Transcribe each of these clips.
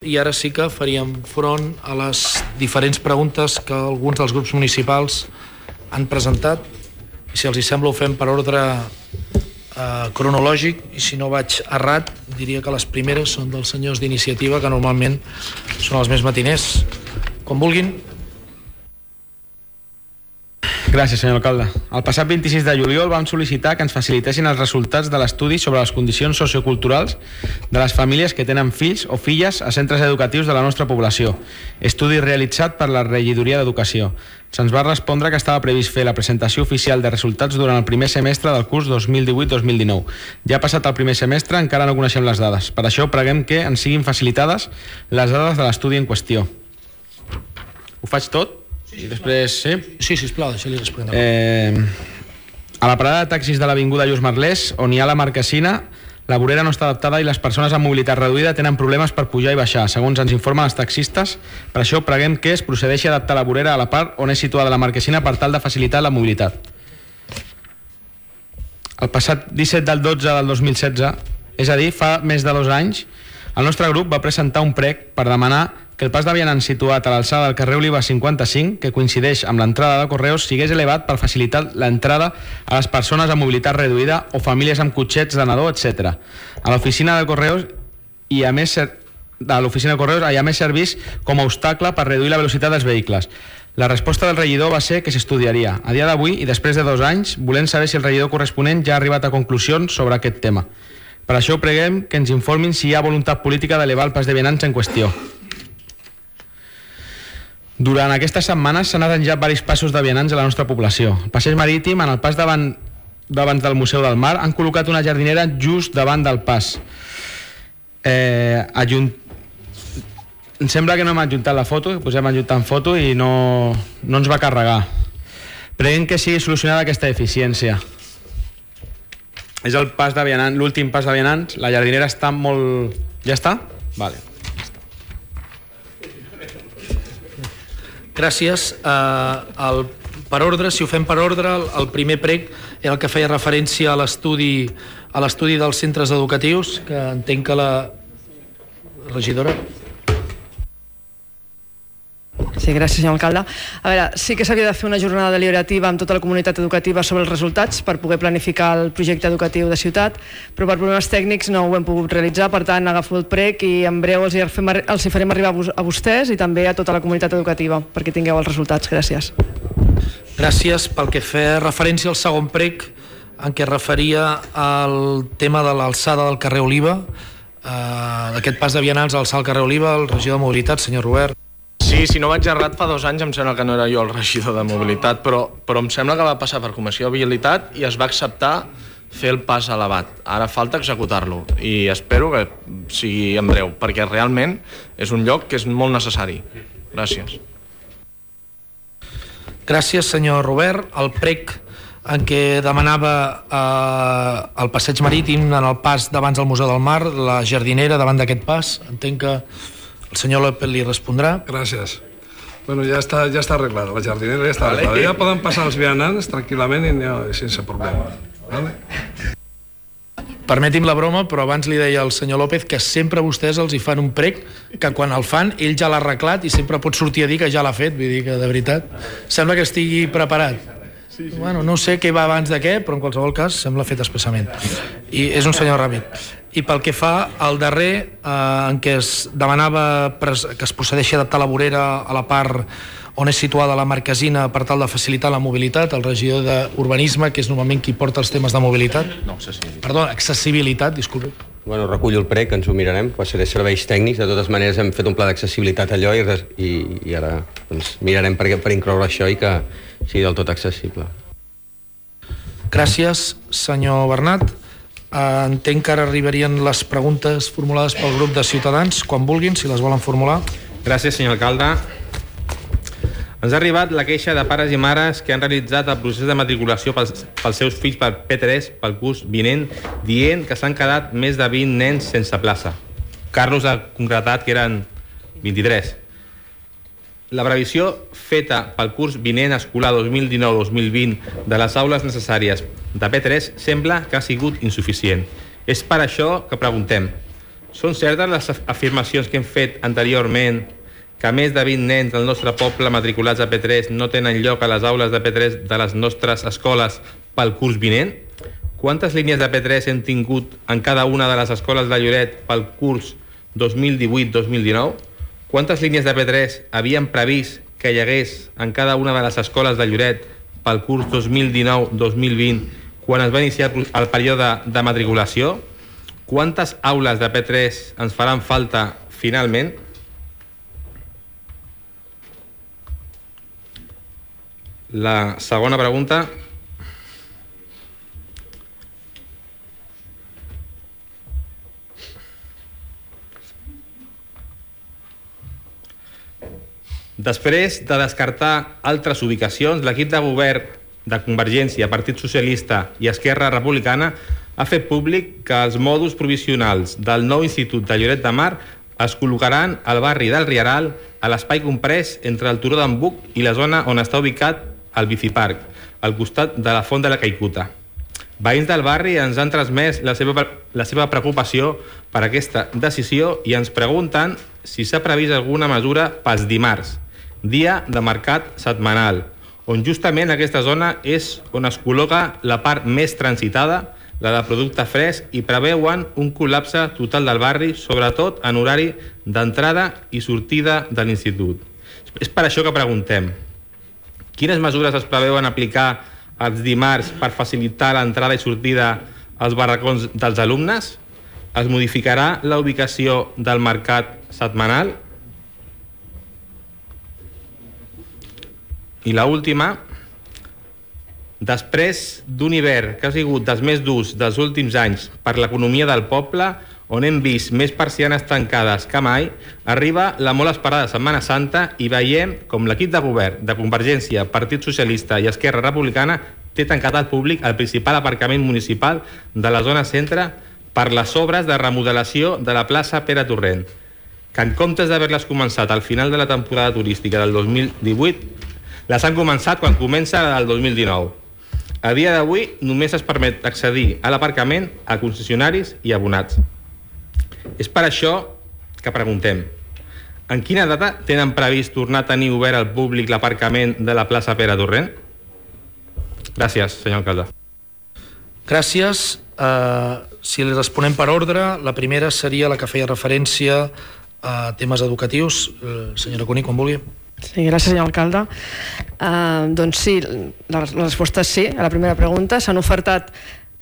I ara sí que faríem front a les diferents preguntes que alguns dels grups municipals han presentat. I si els hi sembla ho fem per ordre cronològic, i si no vaig errat diria que les primeres són dels senyors d'iniciativa, que normalment són els més matiners. Com vulguin. Gràcies, senyor alcalde. El passat 26 de juliol vam sol·licitar que ens facilitessin els resultats de l'estudi sobre les condicions socioculturals de les famílies que tenen fills o filles a centres educatius de la nostra població. Estudi realitzat per la Regidoria d'Educació. Se'ns va respondre que estava previst fer la presentació oficial de resultats durant el primer semestre del curs 2018-2019. Ja ha passat el primer semestre, encara no coneixem les dades. Per això preguem que ens siguin facilitades les dades de l'estudi en qüestió. Ho faig tot? I després, sí? Sí, sisplau, deixa-li respondre. A la parada de taxis de l'avinguda Lluís Merlès, on hi ha la marquesina, la vorera no està adaptada i les persones amb mobilitat reduïda tenen problemes per pujar i baixar, segons ens informen els taxistes. Per això preguem que es procedeixi a adaptar la vorera a la part on és situada la marquesina per tal de facilitar la mobilitat. El passat 17 del 12 del 2016, és a dir, fa més de 2 anys, el nostre grup va presentar un prec per demanar que el pas de vianants situat a l'alçada del carrer Oliva 55, que coincideix amb l'entrada de Correus, sigués elevat per facilitar l'entrada a les persones amb mobilitat reduïda o famílies amb cotxets de nadó, etc. A l'oficina de Correus hi ha més servís com a obstacle per reduir la velocitat dels vehicles. La resposta del regidor va ser que s'estudiaria. A dia d'avui, i després de 2 anys, volem saber si el regidor corresponent ja ha arribat a conclusions sobre aquest tema. Per això preguem que ens informin si hi ha voluntat política d'elevar el pas de vianants en qüestió. Durant aquestes setmanes s'han arranjat diversos passos de vianants a la nostra població. El passeig marítim, en el pas davant del Museu del Mar, han col·locat una jardinera just davant del pas. Em sembla que no hem adjuntat la foto, que posem adjuntant foto i no ens va carregar. Preguem que sigui solucionada aquesta deficiència. És el pas de vianants, l'últim pas de vianants. La jardinera està molt... Ja està? Vale. Gràcies. Per ordre, si ho fem per ordre, el primer prec era el que feia referència a l'estudi dels centres educatius, que entenc que la regidora... Sí, gràcies, senyor alcalde. A veure, sí que s'havia de fer una jornada deliberativa amb tota la comunitat educativa sobre els resultats per poder planificar el projecte educatiu de ciutat, però per problemes tècnics no ho hem pogut realitzar, per tant agafo el prec i en breu els hi farem arribar a vostès i també a tota la comunitat educativa perquè tingueu els resultats. Gràcies. Gràcies. Pel que feia referència al segon prec, en què referia al tema de l'alçada del carrer Oliva, d'aquest pas de vianants a alçar el carrer Oliva, el regidor de Mobilitat, senyor Robert. Sí, si no vaig errat, fa 2 anys em sembla que no era jo el regidor de Mobilitat, però em sembla que va passar per Comissió de Vialitat i es va acceptar fer el pas elevat. Ara falta executar-lo i espero que sigui en breu, perquè realment és un lloc que és molt necessari. Gràcies. Gràcies, senyor Robert. El prec en què demanava el passeig marítim en el pas davant del Museu del Mar, la jardinera davant d'aquest pas, entenc que el senyor López li respondrà. Gràcies. Bueno, ja està arreglada, la jardinera ja està arreglada. Ja poden passar els vianants tranquil·lament i sense problema. Vale? Permeti'm la broma, però abans li deia al senyor López que sempre vostès els hi fan un prec que quan el fan ell ja l'ha arreglat i sempre pot sortir a dir que ja l'ha fet. Vull dir que, de veritat, sembla que estigui preparat. Sí. Bueno, no sé què va abans de què, però en qualsevol cas sembla fet expressament. I és un senyor ràpid. I pel que fa al darrer, en què es demanava que es procedeixi a adaptar la vorera a la part on és situada la marquesina per tal de facilitar la mobilitat, el regidor d'Urbanisme, que és normalment qui porta els temes de mobilitat. No, accessibilitat. Perdó, accessibilitat, disculpi. Bueno, recullo el prec, ens ho mirarem, seré serveis tècnics, de totes maneres hem fet un pla d'accessibilitat allò i ara doncs, mirarem per incloure això i que sigui del tot accessible. Gràcies, senyor Bernat. Entenc que ara arribarien les preguntes formulades pel grup de Ciutadans, quan vulguin, si les volen formular. Gràcies, senyor alcalde. Ens ha arribat la queixa de pares i mares que han realitzat el procés de matriculació pels seus fills per P3 pel curs vinent, dient que s'han quedat més de 20 nens sense plaça. Carlos ha concretat que eren 23. La previsió feta pel curs vinent escolar 2019-2020 de les aules necessàries de P3 sembla que ha sigut insuficient. És per això que preguntem Són certes les afirmacions que hem fet anteriorment que més de 20 nens del nostre poble matriculats a P3 no tenen lloc a les aules de P3 de les nostres escoles pel curs vinent? Quantes línies de P3 hem tingut en cada una de les escoles de Lloret pel curs 2018-2019? Quantes línies de P3 havien previst que hi hagués en cada una de les escoles de Lloret pel curs 2019-2020 quan es va iniciar el període de matriculació? Quantes aules de P3 ens faran falta finalment? La segona pregunta. Després de descartar altres ubicacions, l'equip de govern de Convergència, Partit Socialista i Esquerra Republicana ha fet públic que els mòduls provisionals del nou Institut de Lloret de Mar es col·locaran al barri del Rieral, a l'espai comprès entre el Turó d'en Buc i la zona on està ubicat el Biciparc, al costat de la Font de la Caicuta. Veïns del barri ens han transmès la seva preocupació per aquesta decisió i ens pregunten si s'ha previst alguna mesura pels dimarts, dia de mercat setmanal, on justament aquesta zona és on es col·loca la part més transitada, la de producte fresc, i preveuen un col·lapse total del barri, sobretot en horari d'entrada i sortida de l'institut. És per això que preguntem: quines mesures es preveuen aplicar els dimarts per facilitar l'entrada i sortida als barracons dels alumnes? Es modificarà la ubicació del mercat setmanal? I l'última: després d'un hivern que ha sigut dels més durs dels últims anys per l'economia del poble, on hem vist més persianes tancades que mai, arriba la molt esperada Setmana Santa i veiem com l'equip de govern de Convergència, Partit Socialista i Esquerra Republicana té tancat al públic el principal aparcament municipal de la zona centre per les obres de remodelació de la plaça Pere Torrent, que en comptes d'haver-les començat al final de la temporada turística del 2018, les han començat quan comença la del 2019. A dia d'avui només es permet accedir a l'aparcament a concessionaris i abonats. És per això que preguntem: en quina data tenen previst tornar a tenir obert al públic l'aparcament de la plaça Pere Torrent? Gràcies, senyor alcalde. Gràcies. Si li responem per ordre, la primera seria la que feia referència a temes educatius. Senyora Cuní, quan vulgui. Sí, gràcies, senyor alcalde. Doncs sí, la resposta és sí a la primera pregunta. S'han ofertat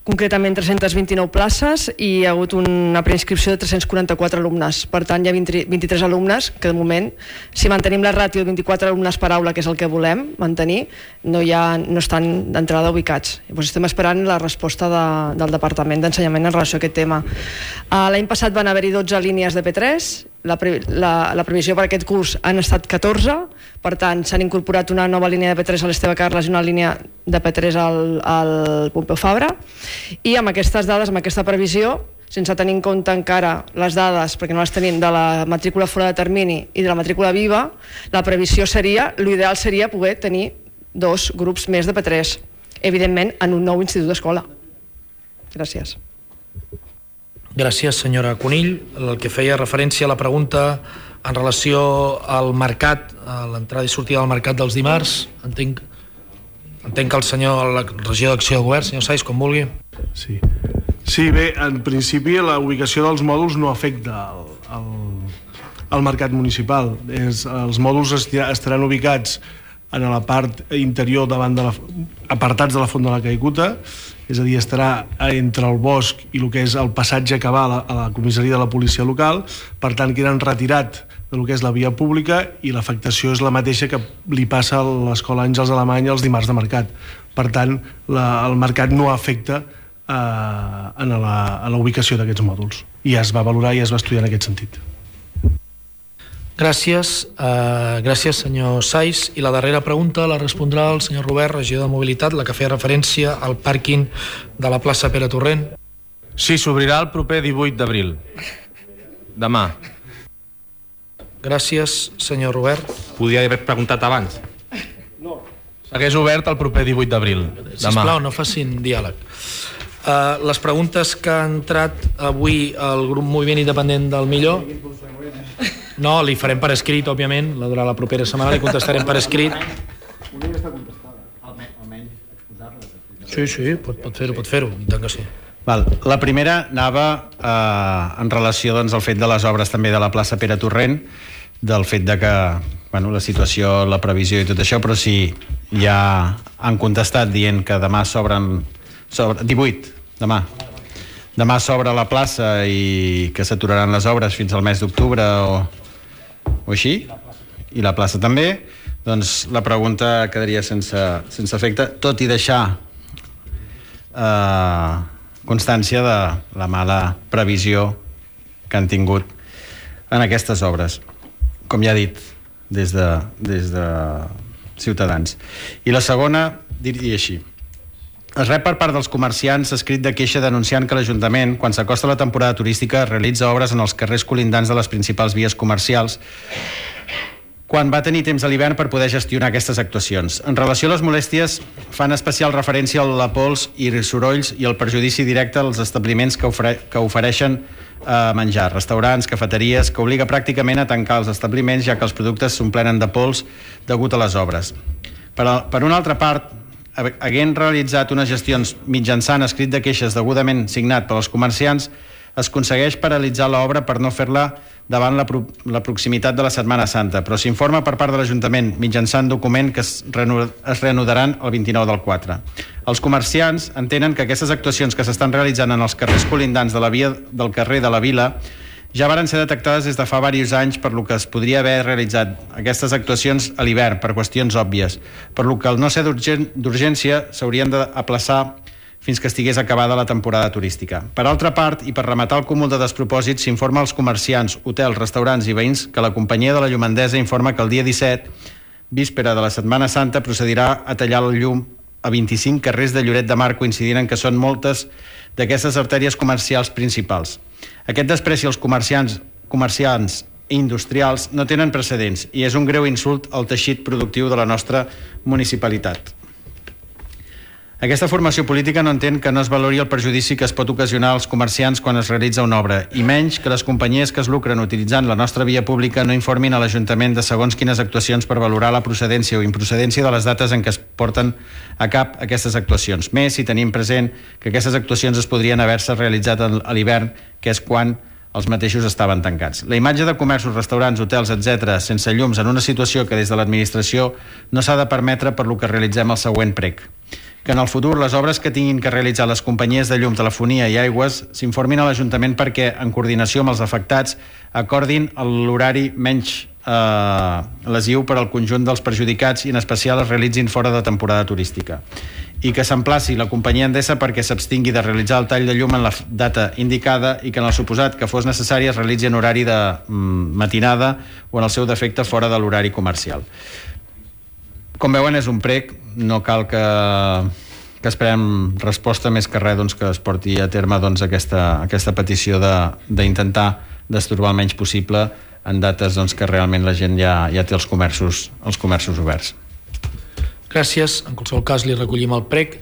concretament 329 places i hi ha hagut una preinscripció de 344 alumnes. Per tant, hi ha 23 alumnes que, de moment, si mantenim la ràtio de 24 alumnes per aula, que és el que volem mantenir, no estan d'entrada ubicats. Llavors estem esperant la resposta del Departament d'Ensenyament en relació a aquest tema. L'any passat van haver-hi 12 línies de P3, la previsió per aquest curs han estat 14, per tant s'han incorporat una nova línia de P3 a l'Esteve Carles i una línia de P3 al Pompeu Fabra, i amb aquestes dades, amb aquesta previsió, sense tenir en compte encara les dades, perquè no les tenim, de la matrícula fora de termini i de la matrícula viva, la previsió seria, l'ideal seria poder tenir 2 grups més de P3, evidentment en un nou institut d'escola. Gràcies. Gràcies, senyora Conill. El que feia referència a la pregunta en relació al mercat, a l'entrada i sortida del mercat dels dimarts, entenc que el senyor, la regidor d'Acció de Govern, senyor Sais, com vulgui. Sí, bé, en principi la ubicació dels mòduls no afecta al mercat municipal. Els mòduls estaran ubicats en la part interior apartats de la Font de la Caicuta, és a dir, estarà entre el bosc i el que és el passatge que va a la comissaria de la policia local, per tant queden retirat del que és la via pública i l'afectació és la mateixa que li passa a l'Escola Àngels Alemany els dimarts de mercat. Per tant, el mercat no afecta a la ubicació d'aquests mòduls i es va valorar i es va estudiar en aquest sentit. Gràcies, senyor Sais. I la darrera pregunta la respondrà el senyor Robert, regidor de Mobilitat, la que feia referència al pàrquing de la plaça Pere Torrent. Sí, s'obrirà el proper 18 d'abril. Demà. Gràcies, senyor Robert. Podria haver preguntat abans. Segueix obert el proper 18 d'abril. Sisplau, no facin diàleg. Les preguntes que ha entrat avui al grup Moviment Independent del Millor, no, li farem per escrit, òbviament, durant la propera setmana li contestarem per escrit. Una ja està contestada, almenys exposar-la. Sí, pot fer-ho, i tant que sí. La primera anava en relació al fet de les obres també de la plaça Pere Torrent, del fet de que la situació, la previsió i tot això, però sí, ja han contestat dient que demà s'obren 18, demà s'obre la plaça i que s'aturaran les obres fins al mes d'octubre o així, i la plaça també. Doncs la pregunta quedaria sense efecte, tot i deixar constància de la mala previsió que han tingut en aquestes obres, com ja he dit, des de Ciutadans. I la segona diria així: es rep per part dels comerciants escrit de queixa denunciant que l'Ajuntament, quan s'acosta la temporada turística, realitza obres en els carrers colindants de les principals vies comercials, quan va tenir temps a l'hivern per poder gestionar aquestes actuacions. En relació a les molèsties, fan especial referència a la pols i sorolls i el perjudici directe als establiments que ofereixen menjar, restaurants, cafeteries, que obliga pràcticament a tancar els establiments, ja que els productes s'omplenen de pols degut a les obres. Per una altra part, havent realitzat unes gestions mitjançant escrit de queixes degudament signat per als comerciants, es aconsegueix paralitzar l'obra per no fer-la davant la proximitat de la Setmana Santa, però s'informa per part de l'Ajuntament mitjançant document que es reanudaran el 29 del 4. Els comerciants entenen que aquestes actuacions que s'estan realitzant en els carrers colindants de la via del carrer de la Vila ja varen ser detectades des de fa diversos anys, per lo que es podria haver realitzat aquestes actuacions a l'hivern per qüestions òbvies, per lo que al no ser d'urgència s'haurien d'aplaçar fins que estigués acabada la temporada turística. Per altra part, i per rematar el cúmul de despropòsits, s'informa als comerciants, hotels, restaurants i veïns que la companyia de la Llumandesa informa que el dia 17, víspera de la Setmana Santa, procedirà a tallar el llum a 25 carrers de Lloret de Mar, coincidint en que són moltes d'aquestes artèries comercials principals. Aquest despreci als comerciants i industrials no tenen precedents i és un greu insult al teixit productiu de la nostra municipalitat. Aquesta formació política no entén que no es valori el perjudici que es pot ocasionar als comerciants quan es realitza una obra, i menys que les companyies que es lucren utilitzant la nostra via pública no informin a l'Ajuntament de segons quines actuacions per valorar la procedència o improcedència de les dates en què es porten a cap aquestes actuacions. Més si tenim present que aquestes actuacions es podrien haver-se realitzat a l'hivern, que és quan els mateixos estaven tancats. La imatge de comerços, restaurants, hotels, etc., sense llums en una situació que des de l'administració no s'ha de permetre, per lo que realitzem el següent prec: que en el futur les obres que tinguin que realitzar les companyies de llum, telefonia i aigües s'informin a l'Ajuntament perquè, en coordinació amb els afectats, acordin l'horari menys lesiu per al conjunt dels perjudicats i en especial es realitzin fora de temporada turística, i que s'emplaci la companyia Endesa perquè s'abstingui de realitzar el tall de llum en la data indicada i que en el suposat que fos necessari es realitzi en horari de matinada o en el seu defecte fora de l'horari comercial. Com veuen, és un prec, no cal que esperem resposta més que res, que es porti a terme aquesta petició d'intentar destorbar el menys possible en dates que realment la gent ja té els comerços oberts. Gràcies. En qualsevol cas li recollim el prec.